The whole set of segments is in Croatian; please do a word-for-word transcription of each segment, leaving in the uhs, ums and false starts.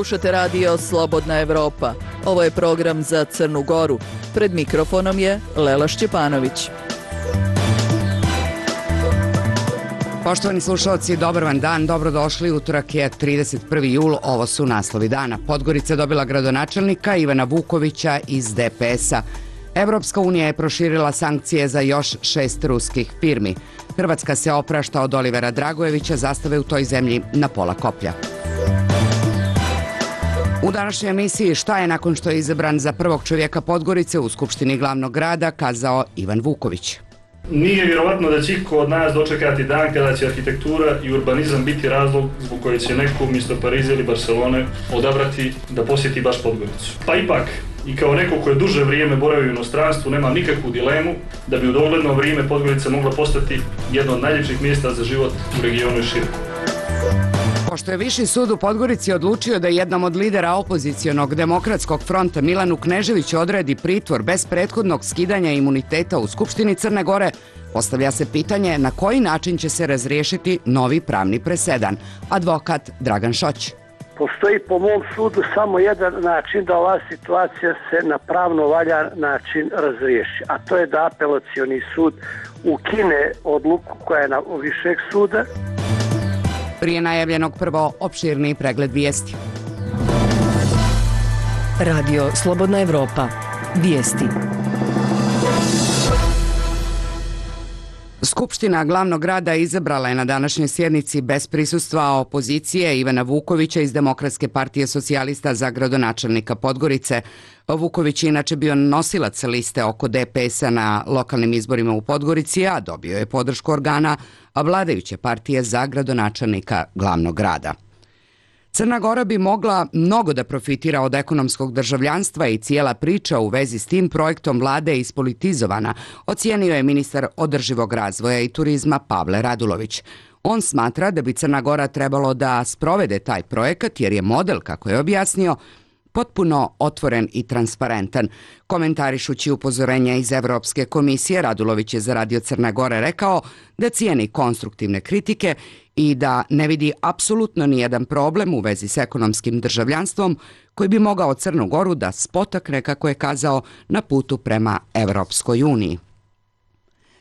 Slušate radio Slobodna Evropa. Ovo je program za Crnu Goru. Pred mikrofonom je Lela Šćepanović. Poštovani slušalci, dobar vam dan, dobrodošli. Utorak je trideset prvi jul, ovo su naslovi dana. Podgorica dobila gradonačelnika Ivana Vukovića iz D P S-a. Evropska unija je proširila sankcije za još šest ruskih firmi. Hrvatska se oprašta od Olivera Dragojevića, zastave u toj zemlji na pola koplja. U današnjoj emisiji šta je nakon što je izabran za prvog čovjeka Podgorice u Skupštini glavnog grada kazao Ivan Vuković. Nije vjerovatno da će iko od nas dočekati dan kada će arhitektura i urbanizam biti razlog zbog koje će neko umjesto Pariza ili Barcelone odabrati da posjeti baš Podgoricu. Pa ipak, i kao neko ko je duže vrijeme boravio u inostranstvu, nema nikakvu dilemu da bi u dogledno vrijeme Podgorica mogla postati jedno od najljepših mjesta za život u regionu i šire. Pošto je Viši sud u Podgorici odlučio da jednom od lidera opozicionog demokratskog fronta Milanu Kneževiću odredi pritvor bez prethodnog skidanja imuniteta u Skupštini Crne Gore, postavlja se pitanje na koji način će se razriješiti novi pravni presedan. Advokat Dragan Šoć. Postoji po mom sudu samo jedan način da ova situacija se na pravno valjan način razriješi, a to je da apelacioni sud ukine odluku koja je na višeg suda. Prije najavljenog prvo opširni pregled vijesti. Radio Slobodna Evropa. Vijesti. Skupština glavnog grada izabrala je na današnjoj sjednici bez prisustva opozicije Ivana Vukovića iz Demokratske partije socijalista za gradonačelnika Podgorice. Vuković je inače bio nosilac liste oko D P S-a na lokalnim izborima u Podgorici, a dobio je podršku organa vladajuće partije za gradonačelnika glavnog grada. Crna Gora bi mogla mnogo da profitira od ekonomskog državljanstva i cijela priča u vezi s tim projektom vlade je ispolitizovana, ocijenio je ministar održivog razvoja i turizma Pavle Radulović. On smatra da bi Crna Gora trebalo da sprovede taj projekat jer je model, kako je objasnio, potpuno otvoren i transparentan. Komentarišući upozorenja iz Evropske komisije, Radulović je za Radio Crne Gore rekao da cijeni konstruktivne kritike i da ne vidi apsolutno nijedan problem u vezi s ekonomskim državljanstvom koji bi mogao Crnu Goru da spotakne, kako je kazao, na putu prema Evropskoj uniji.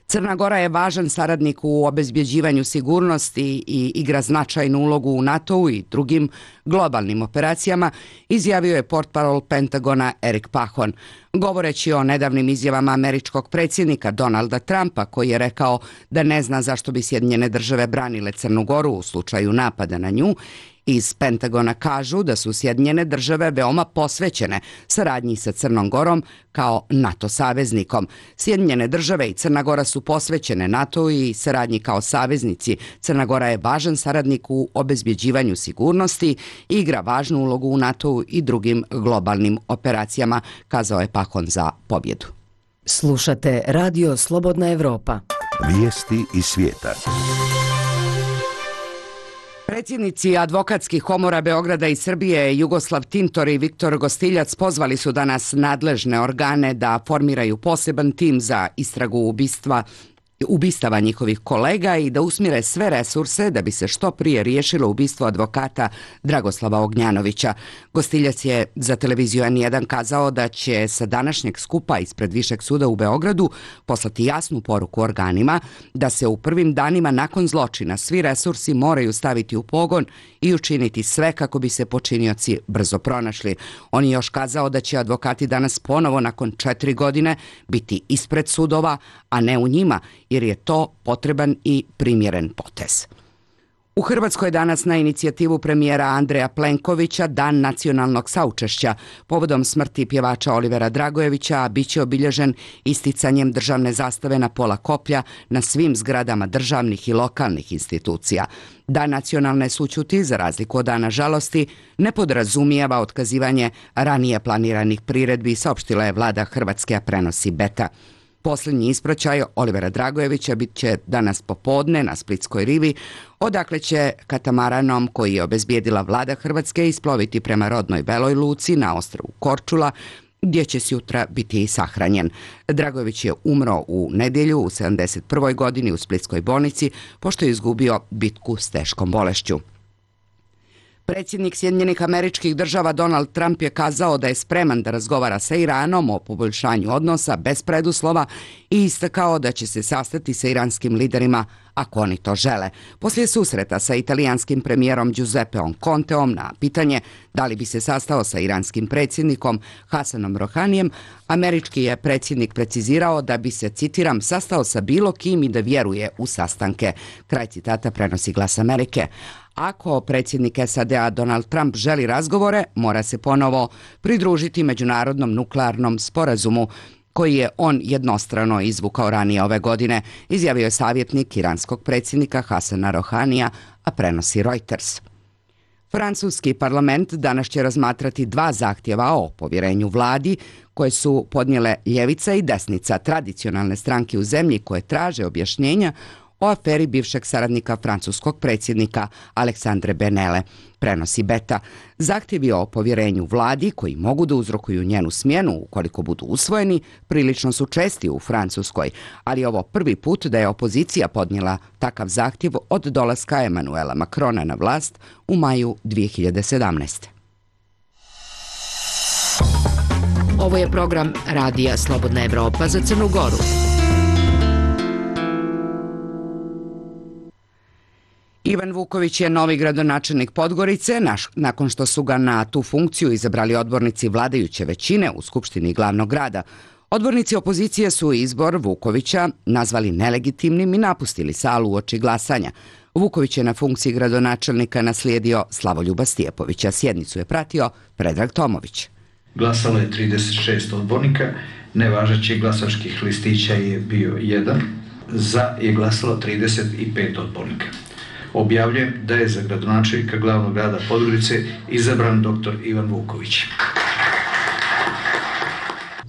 Crna Gora je važan saradnik u obezbjeđivanju sigurnosti i igra značajnu ulogu u NATO-u i drugim globalnim operacijama, izjavio je portparol Pentagona Erik Pahon. Govoreći o nedavnim izjavama američkog predsjednika Donalda Trumpa, koji je rekao da ne zna zašto bi Sjedinjene države branile Crnu Goru u slučaju napada na nju, iz Pentagona kažu da su Sjedinjene države veoma posvećene saradnji sa Crnom Gorom kao NATO saveznikom. Sjedinjene države i Crna Gora su posvećene NATO i saradnji kao saveznici. Crna Gora je važan saradnik u obezbjeđivanju sigurnosti i igra važnu ulogu u NATO-u i drugim globalnim operacijama, kazao je Pahon za pobjedu. Slušate Radio Slobodna Evropa. Vijesti iz svijeta. Predsjednici advokatskih komora Beograda i Srbije Jugoslav Tintor i Viktor Gostiljac pozvali su danas nadležne organe da formiraju poseban tim za istragu ubistva ubistava njihovih kolega i da usmjere sve resurse da bi se što prije riješilo ubistvo advokata Dragoslava Ognjanovića. Gostiljac je za televiziju N jedan kazao da će sa današnjeg skupa ispred Višeg suda u Beogradu poslati jasnu poruku organima da se u prvim danima nakon zločina svi resursi moraju staviti u pogon i učiniti sve kako bi se počinioci brzo pronašli. On je još kazao da će advokati danas ponovo nakon četiri godine biti ispred sudova, a ne u njima, jer je to potreban i primjeren potez. U Hrvatskoj danas na inicijativu premijera Andreja Plenkovića Dan nacionalnog saučešća. Povodom smrti pjevača Olivera Dragojevića bit će obilježen isticanjem državne zastave na pola koplja na svim zgradama državnih i lokalnih institucija. Dan nacionalne sućuti, za razliku od Dana žalosti, ne podrazumijeva otkazivanje ranije planiranih priredbi, saopštila je vlada Hrvatske, a prenosi Beta. Posljednji ispraćaj Olivera Dragojevića bit će danas popodne na Splitskoj rivi, odakle će katamaranom koji je obezbijedila vlada Hrvatske isploviti prema rodnoj Beloj luci na ostrvu Korčula, gdje će sutra biti i sahranjen. Dragojević je umro u nedjelju u sedamdeset prvoj godini u Splitskoj bolnici, pošto je izgubio bitku s teškom bolešću. Predsjednik Sjedinjenih Američkih Država Donald Trump je kazao da je spreman da razgovara sa Iranom o poboljšanju odnosa bez preduslova i istakao da će se sastati sa iranskim liderima ako oni to žele. Poslije susreta sa italijanskim premijerom Giuseppeom Conteom na pitanje da li bi se sastao sa iranskim predsjednikom Hasanom Rohanijem, američki je predsjednik precizirao da bi se, citiram, sastao sa bilo kim i da vjeruje u sastanke. Kraj citata prenosi Glas Amerike. Ako predsjednik S A D-a Donald Trump želi razgovore, mora se ponovo pridružiti međunarodnom nuklearnom sporazumu koji je on jednostrano izvukao ranije ove godine, izjavio je savjetnik iranskog predsjednika Hasana Rohanija, a prenosi Reuters. Francuski parlament danas će razmatrati dva zahtjeva o povjerenju vladi koje su podnijele ljevica i desnica, tradicionalne stranke u zemlji koje traže objašnjenja o aferi bivšeg saradnika francuskog predsjednika Aleksandre Benele, prenosi Beta. Zahtjevi o povjerenju vladi, koji mogu da uzrokuju njenu smjenu ukoliko budu usvojeni, prilično su česti u Francuskoj, ali je ovo prvi put da je opozicija podnijela takav zahtjev od dolaska Emanuela Macrona na vlast u maju dvije hiljade sedamnaeste. Ovo je program Radija Slobodna Evropa za Crnu Goru. Ivan Vuković je novi gradonačelnik Podgorice, naš, nakon što su ga na tu funkciju izabrali odbornici vladajuće većine u Skupštini glavnog grada. Odbornici opozicije su izbor Vukovića nazvali nelegitimnim i napustili salu uoči glasanja. Vuković je na funkciji gradonačelnika naslijedio Slavoljuba Stijepovića. Sjednicu je pratio Predrag Tomović. Glasalo je trideset šest odbornika, nevažećih glasačkih listića je bio jedan, za je glasalo trideset pet odbornika. Objavljujem da je za gradonačelnika glavnog grada Podgorice izabran doktor Ivan Vuković.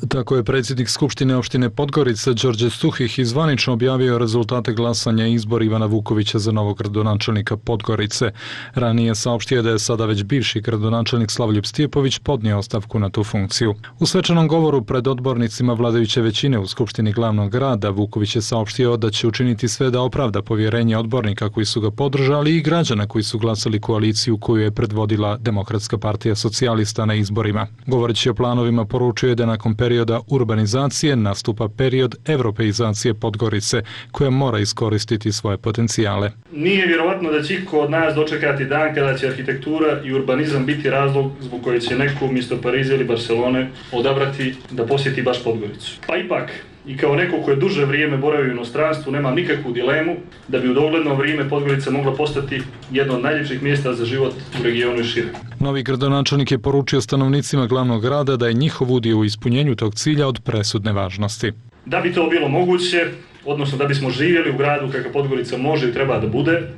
Tako je predsjednik Skupštine opštine Podgorica Đorđe Stuhih zvanično objavio rezultate glasanja i izbor Ivana Vukovića za novog gradonačelnika Podgorice. Ranije saopštio da je sada već bivši gradonačelnik Slavoljub Stijepović podnio ostavku na tu funkciju. U svečanom govoru pred odbornicima vladajuće većine u Skupštini glavnog grada Vuković je saopštio da će učiniti sve da opravda povjerenje odbornika koji su ga podržali i građana koji su glasali koaliciju koju je predvodila Demokratska partija socijalista na izborima. Govoreći o planovima, poručio je da nakon perioda urbanizacije nastupa period evropeizacije Podgorice koja mora iskoristiti svoje potencijale. Nije vjerovatno da će iko od nas dočekati dan kada će arhitektura i urbanizam biti razlog zbog koje će neko umjesto Pariza ili Barcelone odabrati da posjeti baš Podgoricu. Pa ipak, i kao neko ko je duže vrijeme boravio u inostranstvu, nemam nikakvu dilemu da bi u dogledno vrijeme Podgorica mogla postati jedno od najljepših mjesta za život u regionu i šire. Novi gradonačelnik je poručio stanovnicima glavnog grada da je njihov udio u ispunjenju tog cilja od presudne važnosti. Da bi to bilo moguće, odnosno da bismo živjeli u gradu kakav Podgorica može i treba da bude,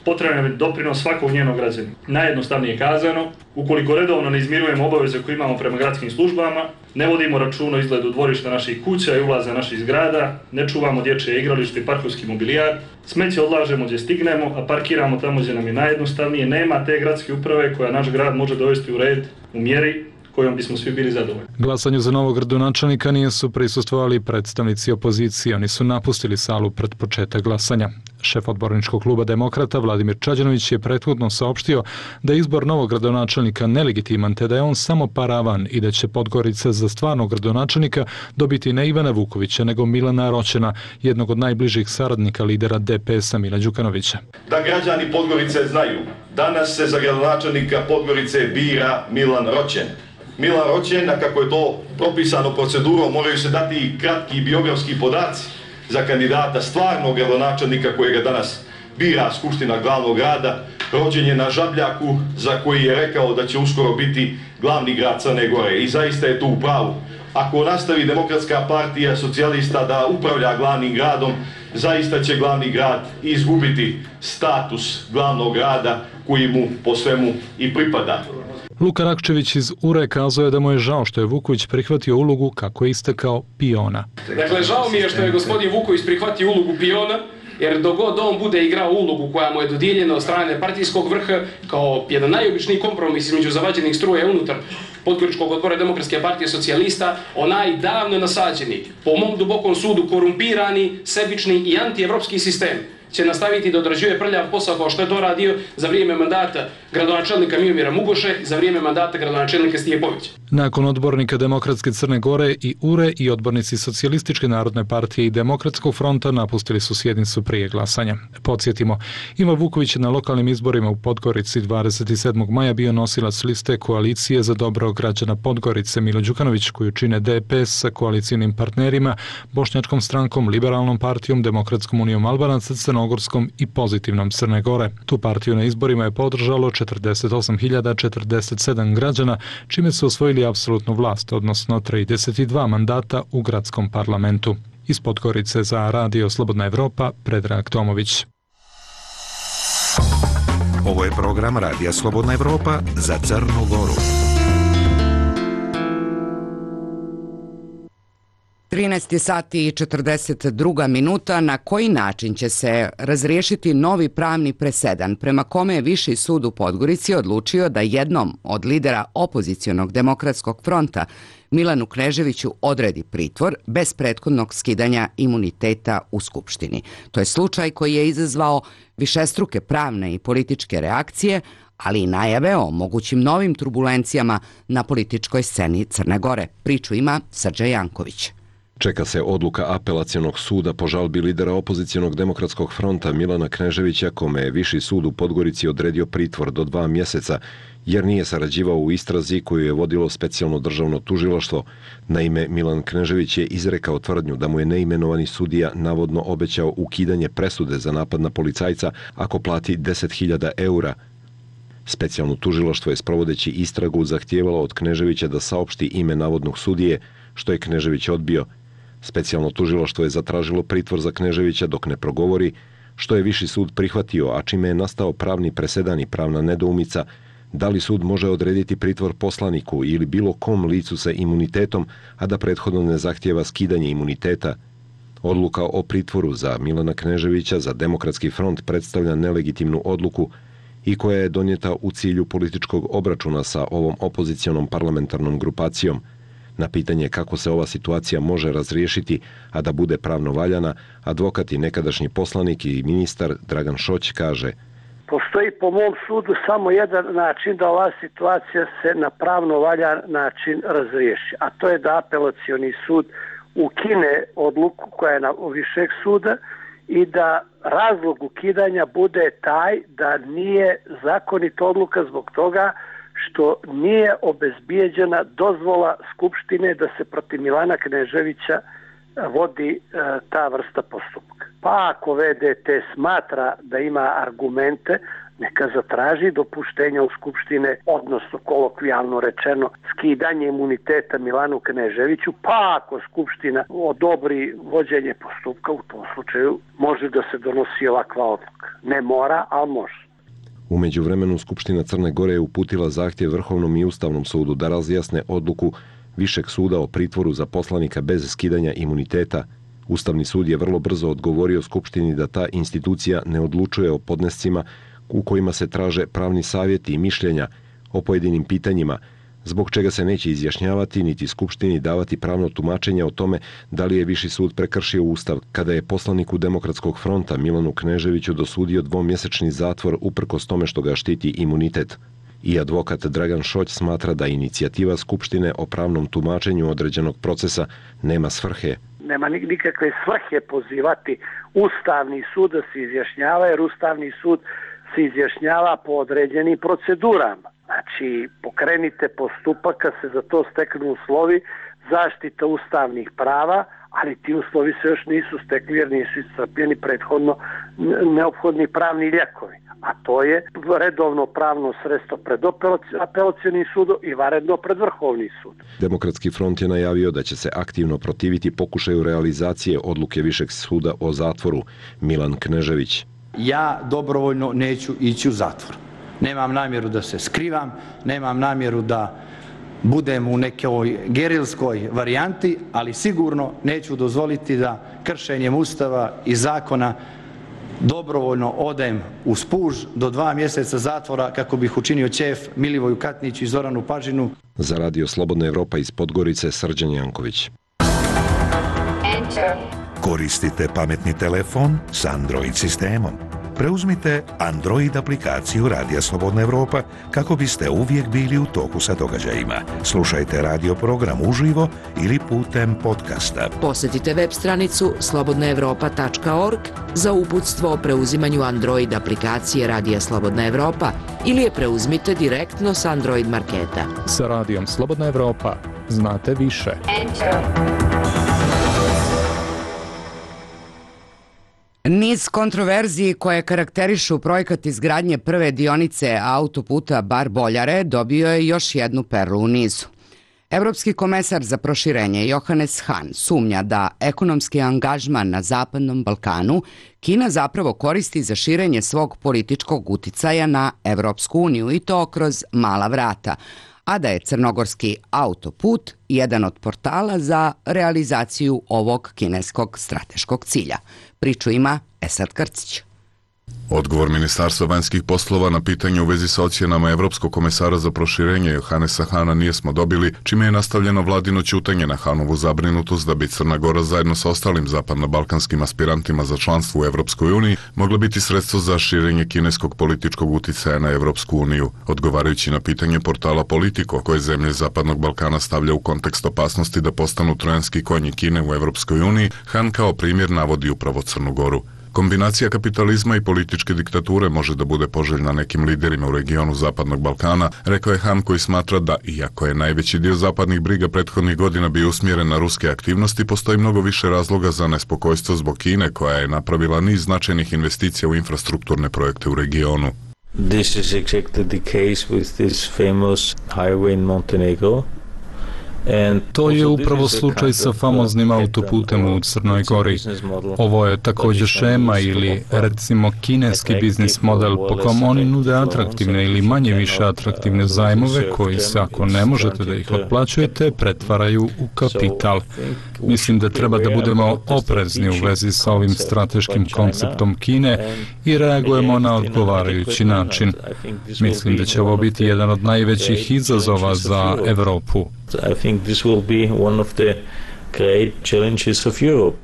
potreban je doprinos svakog njenog građanina. Najjednostavnije kazano, ukoliko redovno ne izmirujemo obaveze koje imamo prema gradskim službama, ne vodimo računa o izgledu dvorišta naših kuća i ulaza naših zgrada, ne čuvamo dječje igralište i parkovski mobilijar, smeće odlažemo gdje stignemo, a parkiramo tamo gdje nam je najjednostavnije, nema te gradske uprave koja naš grad može dovesti u red u mjeri kojom bismo svi bili zadovoljni. Glasanju za novog gradonačelnika nisu prisustvovali predstavnici opozicije, oni su napustili salu pred početak glasanja. Šef odborničkog kluba Demokrata Vladimir Čađanović je prethodno saopštio da je izbor novog gradonačelnika nelegitiman te da je on samo paravan i da će Podgorica za stvarnog gradonačelnika dobiti ne Ivana Vukovića nego Milana Roćena, jednog od najbližih saradnika lidera D P S-a Mila Đukanovića. Da građani Podgorice znaju, danas se za gradonačelnika Podgorice bira Milan Roćen. Milan Roćen, a kako je to propisano procedurom, moraju se dati i kratki biografski podaci za kandidata stvarnog gradonačelnika kojega danas bira Skupština glavnog grada. Rođen je na Žabljaku, za koji je rekao da će uskoro biti glavni grad Crne Gore. I zaista je to u pravu. Ako nastavi Demokratska partija socijalista da upravlja glavnim gradom, zaista će glavni grad izgubiti status glavnog grada koji mu po svemu i pripada. Luka Rakčević iz U R E kazao je da mu je žao što je Vuković prihvatio ulogu, kako je istakao, piona. Dakle, žao mi je što je gospodin Vuković prihvatio ulogu piona, jer dok god on bude igrao ulogu koja mu je dodijeljena od strane partijskog vrha kao jedan najobičniji kompromis između zavađenih struja unutar Podgoričkog odbora Demokratske partije socijalista, onaj davno nasađeni, po mom dubokom sudu korumpirani, sebični i antievropski sistem će nastaviti da odrađuje prljav posao kao što je to radio za vrijeme mandata gradonačelnika Miomira Mugoše i za vrijeme mandata gradonačelnika Stijepovića. Nakon odbornika Demokratske Crne Gore i U R E i odbornici Socijalističke narodne partije i Demokratskog fronta napustili su sjednicu prije glasanja. Podsjetimo, Ivan Vuković je na lokalnim izborima u Podgorici dvadeset sedmog maja bio nosilac liste Koalicije za dobro građana Podgorice. Milo Đukanović, koju čine D P S sa koalicijnim partnerima, Bošnjačkom strankom, Liberalnom partijom, Demokratskom unijom Albanaca, Crnogorskom i Pozitivnom Crne Gore. Tu partiju na izborima je podržalo četrdeset osam hiljada četrdeset sedam građana, čime su osvojili apsolutnu vlast, odnosno trideset dva mandata u gradskom parlamentu. Iz Podgorice za Radio Slobodna Evropa, Predrag Tomović. Ovo je program Radija Slobodna Evropa za Crnu Goru. trinaest sati i četrdeset dva minuta. Na koji način će se razriješiti novi pravni presedan prema kome je Viši sud u Podgorici odlučio da jednom od lidera opozicionog Demokratskog fronta Milanu Kneževiću odredi pritvor bez prethodnog skidanja imuniteta u Skupštini. To je slučaj koji je izazvao višestruke pravne i političke reakcije, ali i najave o mogućim novim turbulencijama na političkoj sceni Crne Gore. Priču ima Srđan Janković. Čeka se odluka apelacionog suda po žalbi lidera opozicionog Demokratskog fronta Milana Kneževića, kome je Viši sud u Podgorici odredio pritvor do dva mjeseca, jer nije sarađivao u istrazi koju je vodilo specijalno državno tužilaštvo. Naime, Milan Knežević je izrekao tvrdnju da mu je neimenovani sudija navodno obećao ukidanje presude za napad na policajca ako plati deset hiljada eura. Specijalno tužilaštvo je, sprovodeći istragu, zahtijevalo od Kneževića da saopšti ime navodnog sudije, što je Knežević odbio. Specijalno tužilaštvo je zatražilo pritvor za Kneževića dok ne progovori, što je Viši sud prihvatio, a čime je nastao pravni presedan i pravna nedoumica da li sud može odrediti pritvor poslaniku ili bilo kom licu sa imunitetom, a da prethodno ne zahtijeva skidanje imuniteta. Odluka o pritvoru za Milana Kneževića za Demokratski front predstavlja nelegitimnu odluku i koja je donijeta u cilju političkog obračuna sa ovom opozicionom parlamentarnom grupacijom. Na pitanje kako se ova situacija može razriješiti, a da bude pravno valjana, advokat i nekadašnji poslanik i ministar Dragan Šoć kaže: Postoji po mom sudu samo jedan način da ova situacija se na pravno valjan način razriješi, a to je da apelacioni sud ukine odluku koja je na višeg suda i da razlog ukidanja bude taj da nije zakonita odluka zbog toga što nije obezbijeđena dozvola Skupštine da se protiv Milana Kneževića vodi e, ta vrsta postupka. Pa ako V D T smatra da ima argumente, neka zatraži dopuštenja u Skupštine, odnosno kolokvijalno rečeno skidanje imuniteta Milanu Kneževiću, pa ako Skupština odobri vođenje postupka, u tom slučaju može da se donosi ovakva odluka. Ne mora, ali može. U međuvremenu Skupština Crne Gore je uputila zahtjev Vrhovnom i Ustavnom sudu da razjasne odluku Višeg suda o pritvoru za poslanika bez skidanja imuniteta. Ustavni sud je vrlo brzo odgovorio Skupštini da ta institucija ne odlučuje o podnescima u kojima se traže pravni savjeti i mišljenja o pojedinim pitanjima, zbog čega se neće izjašnjavati niti Skupštini davati pravno tumačenje o tome da li je Viši sud prekršio Ustav, kada je poslaniku Demokratskog fronta Milanu Kneževiću dosudio dvomjesečni zatvor uprkos tome što ga štiti imunitet. I advokat Dragan Šoć smatra da inicijativa Skupštine o pravnom tumačenju određenog procesa nema svrhe. Nema nikakve svrhe pozivati Ustavni sud da se izjašnjava, jer Ustavni sud se izjašnjava po određenim procedurama. Znači, pokrenite postupak kad se za to steknu uslovi zaštita ustavnih prava, ali ti uslovi se još nisu stekli jer nisu iscrpljeni prethodno neophodni pravni lijekovi. A to je redovno pravno sredstvo pred apelacionim sudom i vanredno pred Vrhovni sud. Demokratski front je najavio da će se aktivno protiviti pokušaju realizacije odluke Višeg suda o zatvoru. Milan Knežević: Ja dobrovoljno neću ići u zatvor. Nemam namjeru da se skrivam, nemam namjeru da budem u nekoj gerilskoj varijanti, ali sigurno neću dozvoliti da kršenjem Ustava i zakona dobrovoljno odem u spuž do dva mjeseca zatvora kako bih učinio ćef Milivoju Katniću i Zoranu Pažinu. Za Radio Slobodna Evropa iz Podgorice, Srđan Janković. Koristite pametni telefon s Android sistemom? Preuzmite Android aplikaciju Radija Slobodna Evropa kako biste uvijek bili u toku sa događajima. Slušajte radio program uživo ili putem podcasta. Posjetite web stranicu slobodna evropa tačka org za uputstvo o preuzimanju Android aplikacije Radija Slobodna Evropa ili je preuzmite direktno s Android marketa. Sa Radijom Slobodna Evropa znate više. Niz kontroverziji koje karakterišu projekat izgradnje prve dionice autoputa Bar-Boljare dobio je još jednu perlu u nizu. Evropski komesar za proširenje Johannes Hahn sumnja da ekonomski angažman na Zapadnom Balkanu Kina zapravo koristi za širenje svog političkog uticaja na Evropsku uniju i to kroz mala vrata, a da je crnogorski autoput jedan od portala za realizaciju ovog kineskog strateškog cilja. Priču ima Esad Krcić. Odgovor Ministarstva vanjskih poslova na pitanje u vezi sa ocjenama Evropskog komesara za proširenje Johannesa Hahna nismo dobili, čime je nastavljeno vladino ćutanje na Hahnovu zabrinutost da bi Crna Gora zajedno sa ostalim zapadno-balkanskim aspirantima za članstvo u Evropskoj uniji mogla biti sredstvo za širenje kineskog političkog uticaja na Evropsku uniju. Odgovarajući na pitanje portala Politico, koje zemlje Zapadnog Balkana stavlja u kontekst opasnosti da postanu trojanski konji Kine u Evropskoj uniji, Hahn kao primjer navodi upravo Crnu Goru. Kombinacija kapitalizma i političke diktature može da bude poželjna nekim liderima u regionu Zapadnog Balkana, rekao je Hahn, koji smatra da, iako je najveći dio zapadnih briga prethodnih godina bio usmjeren na ruske aktivnosti, postoji mnogo više razloga za nespokojstvo zbog Kine, koja je napravila niz značajnih investicija u infrastrukturne projekte u regionu. This is exactly the case with this famous highway in Montenegro. To je upravo slučaj sa famoznim autoputem u Crnoj Gori. Ovo je također šema ili, recimo, kineski biznis model po kom oni nude atraktivne ili manje više atraktivne zajmove koji se, ako ne možete da ih otplaćujete, pretvaraju u kapital. Mislim da treba da budemo oprezni u vezi sa ovim strateškim konceptom Kine i reagujemo na odgovarajući način. Mislim da će ovo biti jedan od najvećih izazova za Evropu. I think this will be one of the great challenges of Europe.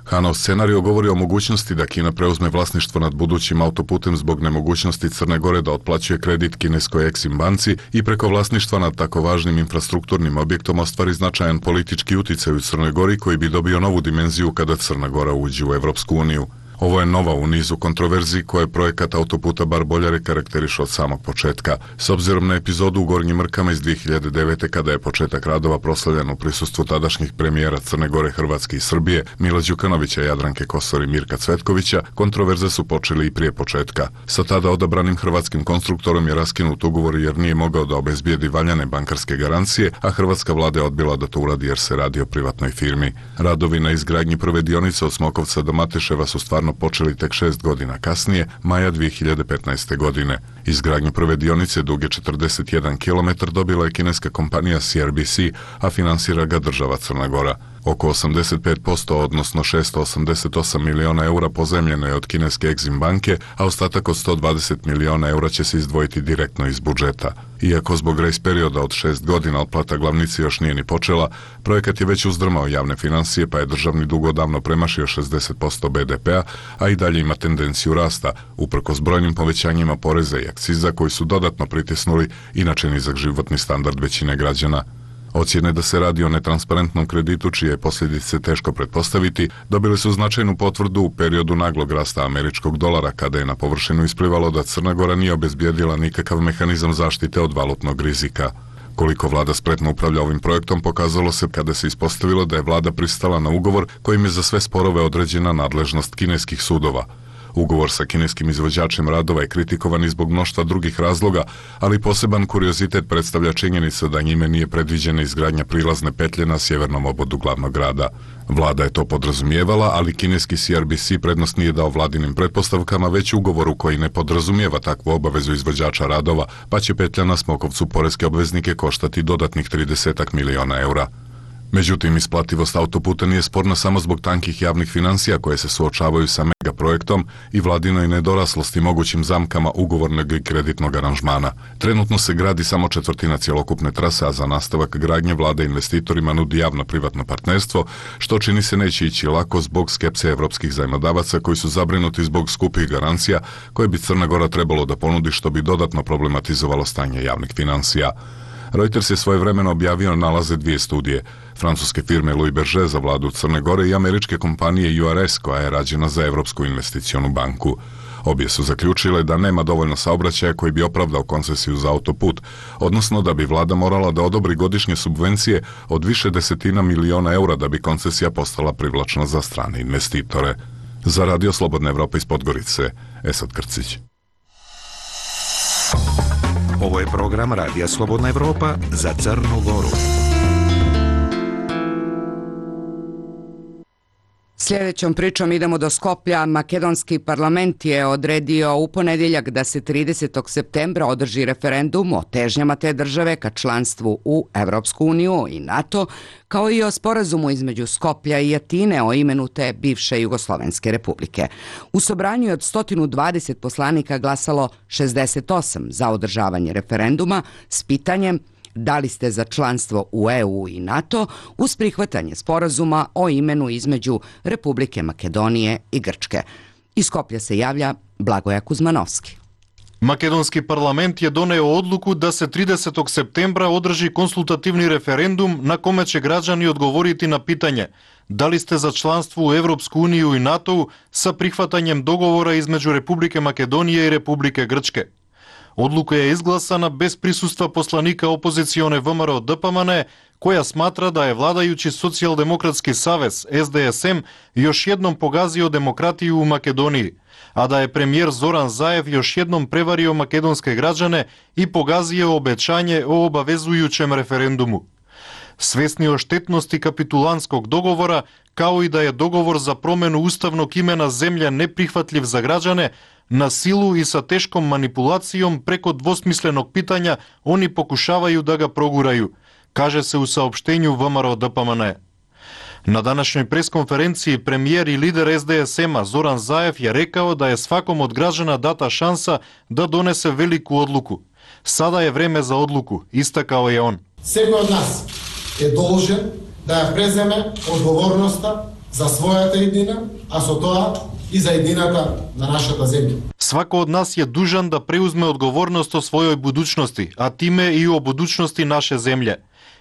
Hahnov scenario govori o mogućnosti da Kina preuzme vlasništvo nad budućim autoputem zbog nemogućnosti Crne Gore da otplaćuje kredit kineskoj Exim banci i preko vlasništva nad tako važnim infrastrukturnim objektom ostvari značajan politički uticaj u Crnoj Gori koji bi dobio novu dimenziju kada Crna Gora uđe u Evropsku uniju. Ovo je nova u nizu kontroverziji koje projekat autoputa Bar-Boljare karakteriše od samog početka. S obzirom na epizodu u Gornjim Mrkama iz dvije hiljade devete. kada je početak radova proslavljen u prisustvu tadašnjih premijera Crne Gore, Hrvatske i Srbije, Mila Đukanovića, Jadranke Kosor i Mirka Cvetkovića, kontroverze su počeli i prije početka. Sa tada odabranim hrvatskim konstruktorom je raskinut ugovor jer nije mogao da obezbijedi valjane bankarske garancije, a hrvatska vlada je odbila da to uradi jer se radi o privatnoj firmi. Radovi na izgradnji prve dionice od Smokovca do Mateševa su stvarno počeli tek šest godina kasnije, maja dvije hiljade petnaeste. godine. Izgradnju prve dionice duge četrdeset jedan kilometar dobila je kineska kompanija C R B C, a finansira ga država Crna Gora. Oko osamdeset pet posto, odnosno šesto osamdeset osam miliona eura pozemljeno je od kineske Exim banke, a ostatak od sto dvadeset miliona eura će se izdvojiti direktno iz budžeta. Iako zbog grace perioda od šest godina otplata glavnice još nije ni počela, projekat je već uzdrmao javne financije, pa je državni dug odavno premašio šezdeset posto B D P-a, a i dalje ima tendenciju rasta, uprkos brojnim povećanjima poreza i akciza koji su dodatno pritisnuli inače nizak životni standard većine građana. Ocjene da se radi o netransparentnom kreditu, čije je posljedice teško pretpostaviti, dobili su značajnu potvrdu u periodu naglog rasta američkog dolara, kada je na površinu isplivalo da Crna Gora nije obezbijedila nikakav mehanizam zaštite od valutnog rizika. Koliko vlada spretno upravlja ovim projektom pokazalo se kada se ispostavilo da je vlada pristala na ugovor kojim je za sve sporove određena nadležnost kineskih sudova. Ugovor sa kineskim izvođačem radova je kritikovan i zbog mnoštva drugih razloga, ali poseban kuriozitet predstavlja činjenica da njime nije predviđena izgradnja prilazne petlje na sjevernom obodu glavnog grada. Vlada je to podrazumijevala, ali kineski C R B C prednost nije dao vladinim pretpostavkama, već ugovoru koji ne podrazumijeva takvu obavezu izvođača radova, pa će petlja na Smokovcu poreske obveznike koštati dodatnih trideset miliona eura. Međutim, isplativost autoputa nije sporna samo zbog tankih javnih financija koje se suočavaju sa mega projektom i vladinoj nedoraslosti mogućim zamkama ugovornog i kreditnog aranžmana. Trenutno se gradi samo četvrtina cjelokupne trase, a za nastavak gradnje vlada investitorima nudi javno-privatno partnerstvo, što čini se neće ići lako zbog skepse evropskih zajmodavaca koji su zabrinuti zbog skupih garancija koje bi Crna Gora trebalo da ponudi, što bi dodatno problematizovalo stanje javnih financija. Reuters je svojevremeno objavio nalaze dvije studije, francuske firme Louis Berger za vladu Crne Gore i američke kompanije U R S koja je rađena za Evropsku investicionu banku. Obje su zaključile da nema dovoljno saobraćaja koji bi opravdao koncesiju za autoput, odnosno da bi vlada morala da odobri godišnje subvencije od više desetina miliona eura da bi koncesija postala privlačna za strane investitore. Za Radio Slobodna Evropa iz Podgorice, Esad Krcić. Ovo je program Radija Slobodna Evropa za Crnu Goru. Sljedećom pričom idemo do Skoplja. Makedonski parlament je odredio u ponedjeljak da se tridesetog septembra održi referendum o težnjama te države ka članstvu u Evropsku uniju i NATO, kao i o sporazumu između Skoplja i Atine o imenu te bivše Jugoslovenske republike. U sobranju je od sto dvadeset poslanika glasalo šezdeset osam za održavanje referenduma s pitanjem da li ste za članstvo u E U i NATO uz prihvatanje sporazuma o imenu između Republike Makedonije i Grčke. Iz Skoplja se javlja Blagoja Kuzmanovski. Makedonski parlament je doneo odluku da se tridesetog septembra održi konsultativni referendum na kome će građani odgovoriti na pitanje da li ste za članstvo u Evropsku uniju i NATO sa prihvatanjem dogovora između Republike Makedonije i Republike Grčke. Odluka je izglasana bez prisustva poslanika opozicione V M R O D P M N, koja smatra da je vladajući Socijaldemokratski savez S D S M još jednom pogazio demokratiju u Makedoniji, a da je premijer Zoran Zaev još jednom prevario makedonske građane i pogazio obećanje o obavezujućem referendumu. Svesni o štetnosti kapitulanskog dogovora, kao i da je dogovor za promenu ustavnog imena zemlje neprihvatljiv za građane, na silu i sa teškom manipulacijom preko dvosmislenog pitanja oni pokušavaju da ga proguraju, kaže se u saopštenju V M R O D P M N. Na današnjoj preskonferenciji premijer i lider S D S M-a Zoran Zaev je rekao da je svakom od građana data šansa da donese veliku odluku. Sada je vreme za odluku, istakao je on. Всеки од нас е должен да ја преземе одговорноста за својата иднина, а со тоа и за иднината на нашата земја. Свако од нас е дужан да преузме одговорност о својој будучности, а тиме и о будучности наше земље.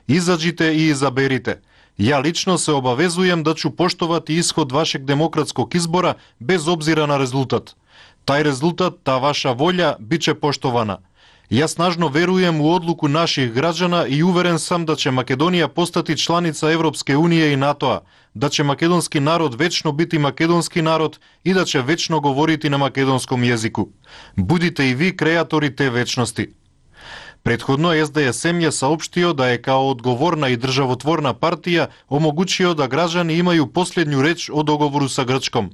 Изаđite и изаберите. Ја лично се обавезуjem да ću poštovati ishod vašeg demokratskog izbora bez obzira na rezultat. Taj rezultat, ta vaša volja, biće poštovana. Ja snažno verujem u odluku naših građana i uveren sam da će Makedonija postati članica Evropske unije i NATO-a, da će makedonski narod večno biti makedonski narod i da će večno govoriti na makedonskom jeziku. Budite i vi kreatori te večnosti. Prethodno S D S M je saopštio da je kao odgovorna i državotvorna partija omogućio da građani imaju posljednju reč o dogovoru sa Grčkom.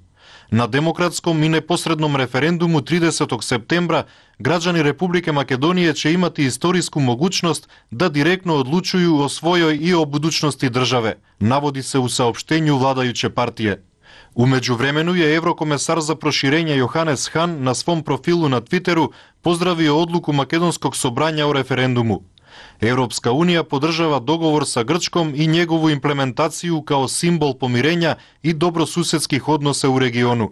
Na demokratskom i neposrednom referendumu tridesetog septembra građani Republike Makedonije će imati istorijsku mogućnost da direktno odlučuju o svojoj i o budućnosti države, navodi se u saopštenju vladajuće partije. U međuvremenu je Evrokomesar za proširenje Johannes Hahn na svom profilu na Twitteru pozdravio odluku makedonskog sobranja o referendumu. Evropska unija podržava dogovor sa Grčkom i njegovu implementaciju kao simbol pomirenja i dobrosusedskih odnosa u regionu.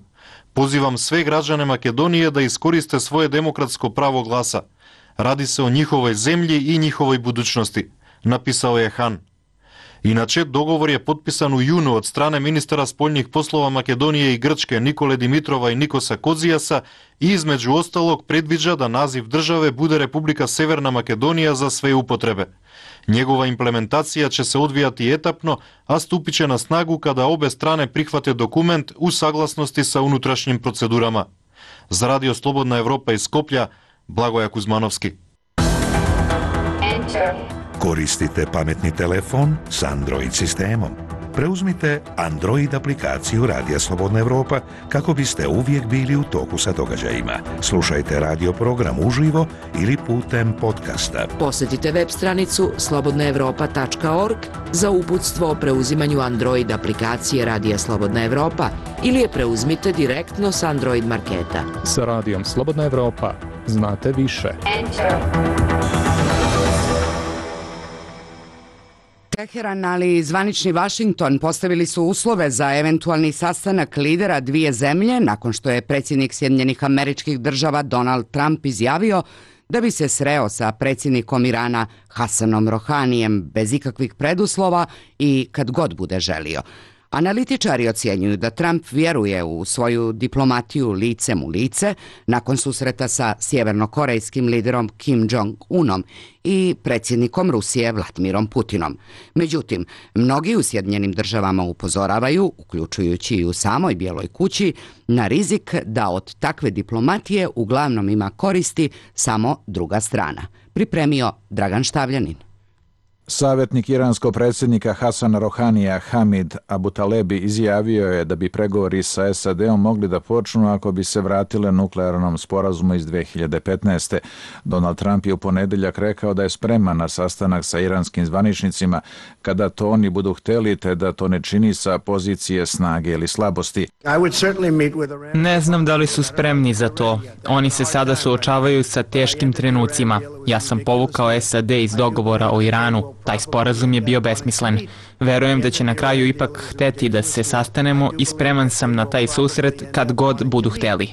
Pozivam sve građane Makedonije da iskoriste svoje demokratsko pravo glasa. Radi se o njihovoj zemlji i njihovoj budućnosti, napisao je Hahn. Inače, dogovor je potpisan u junu od strane ministara spoljnih poslova Makedonije i Grčke Nikole Dimitrova i Nikosa Kozijasa i između ostalog predviđa da naziv države bude Republika Severna Makedonija za sve upotrebe. Njegova implementacija će se odvijati etapno, a stupit će na snagu kada obe strane prihvate dokument u saglasnosti sa unutrašnjim procedurama. Za Radio Slobodna Evropa iz Skoplja, Blagoja Kuzmanovski. Koristite pametni telefon s Android sistemom. Preuzmite Android aplikaciju Radija Slobodna Evropa kako biste uvijek bili u toku sa događajima. Slušajte radio program uživo ili putem podcasta. Posjetite web stranicu slobodna evropa tačka org za uputstvo o preuzimanju Android aplikacije Radija Slobodna Evropa ili je preuzmite direktno s Android marketa. Sa Radijom Slobodna Evropa znate više. Teheran, ali i zvanični Vašington postavili su uslove za eventualni sastanak lidera dvije zemlje nakon što je predsjednik Sjedinjenih Američkih Država Donald Trump izjavio da bi se sreo sa predsjednikom Irana Hasanom Rohanijem bez ikakvih preduslova i kad god bude želio. Analitičari ocjenjuju da Trump vjeruje u svoju diplomatiju licem u lice nakon susreta sa sjevernokorejskim liderom Kim Jong-unom i predsjednikom Rusije Vladimirom Putinom. Međutim, mnogi u Sjedinjenim Državama upozoravaju, uključujući i u samoj Bijeloj kući, na rizik da od takve diplomatije uglavnom ima koristi samo druga strana. Pripremio Dragan Štavljanin. Savjetnik iranskog predsjednika Hasana Rohanija Hamid Abutalebi izjavio je da bi pregovori sa S A D-om mogli da počnu ako bi se vratile nuklearnom sporazumu iz dve hiljade petnaeste. Donald Trump je u ponedjeljak rekao da je spreman na sastanak sa iranskim zvaničnicima kada to oni budu htjeli, te da to ne čini sa pozicije snage ili slabosti. Ne znam da li su spremni za to. Oni se sada suočavaju sa teškim trenucima. Ja sam povukao S A D iz dogovora o Iranu. Taj sporazum je bio besmislen. Verujem da će na kraju ipak hteti da se sastanemo i spreman sam na taj susret kad god budu hteli.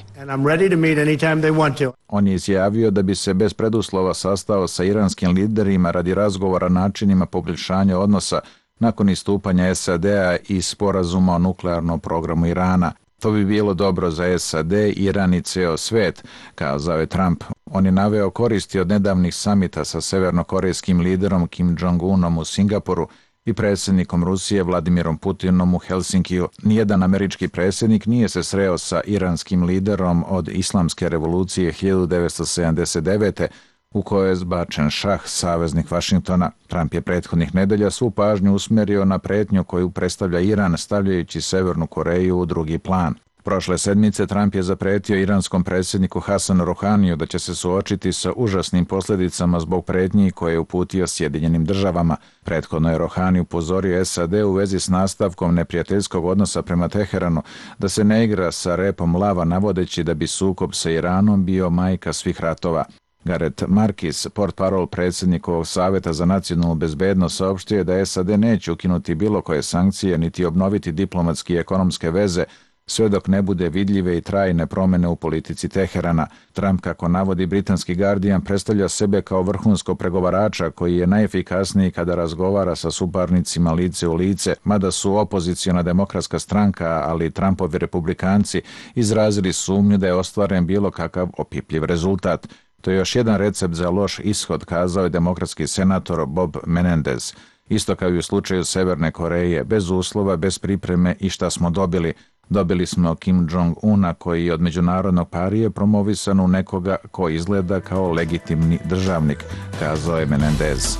On je izjavio da bi se bez preduslova sastao sa iranskim liderima radi razgovora načinima poboljšanja odnosa nakon istupanja S A D-a i sporazuma o nuklearnom programu Irana. To bi bilo dobro za S A D, Iran i ceo svet, kazao je Trump. On je naveo koristi od nedavnih samita sa severnokorejskim liderom Kim Jong-unom u Singapuru i predsjednikom Rusije Vladimirom Putinom u Helsinkiju. Nijedan američki predsjednik nije se sreo sa iranskim liderom od islamske revolucije hiljadu devetsto sedamdeset devete. u kojoj je zbačen šah, saveznik Vašingtona. Trump je prethodnih nedelja svu pažnju usmjerio na pretnju koju predstavlja Iran, stavljajući Severnu Koreju u drugi plan. Prošle sedmice Trump je zapretio iranskom predsjedniku Hasanu Rohaniju da će se suočiti sa užasnim posljedicama zbog pretnji koje je uputio Sjedinjenim državama. Prethodno je Rohani upozorio S A D u vezi s nastavkom neprijateljskog odnosa prema Teheranu da se ne igra sa repom lava, navodeći da bi sukob sa Iranom bio majka svih ratova. Gareth Markis, portparol predsjednikovog Savjeta za nacionalnu bezbednost, saopštio je da S A D neće ukinuti bilo koje sankcije niti obnoviti diplomatske i ekonomske veze sve dok ne bude vidljive i trajne promjene u politici Teherana. Trump, kako navodi britanski Guardian, predstavlja sebe kao vrhunskog pregovarača koji je najefikasniji kada razgovara sa suparnicima lice u lice, mada su opoziciona demokratska stranka, ali i Trumpovi republikanci izrazili sumnju da je ostvaren bilo kakav opipljiv rezultat. To je još jedan recept za loš ishod, kazao je demokratski senator Bob Menendez. Isto kao i u slučaju Severne Koreje, bez uslova, bez pripreme i šta smo dobili? Dobili smo Kim Jong-una koji je od međunarodnog parije promovisan u nekoga ko izgleda kao legitimni državnik, kazao je Menendez.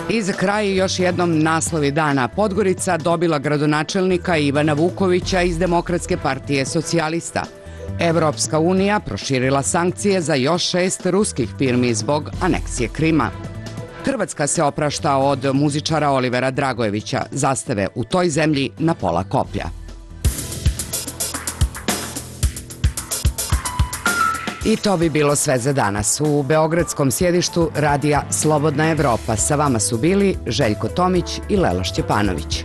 I za kraj još jednom naslovi dana. Podgorica dobila gradonačelnika Ivana Vukovića iz Demokratske partije socijalista. Evropska unija proširila sankcije za još šest ruskih firmi zbog aneksije Krima. Hrvatska se oprašta od muzičara Olivera Dragojevića, zastave u toj zemlji na pola koplja. I to bi bilo sve za danas. U beogradskom sjedištu radija Slobodna Evropa sa vama su bili Željko Tomić i Lela Šćepanović.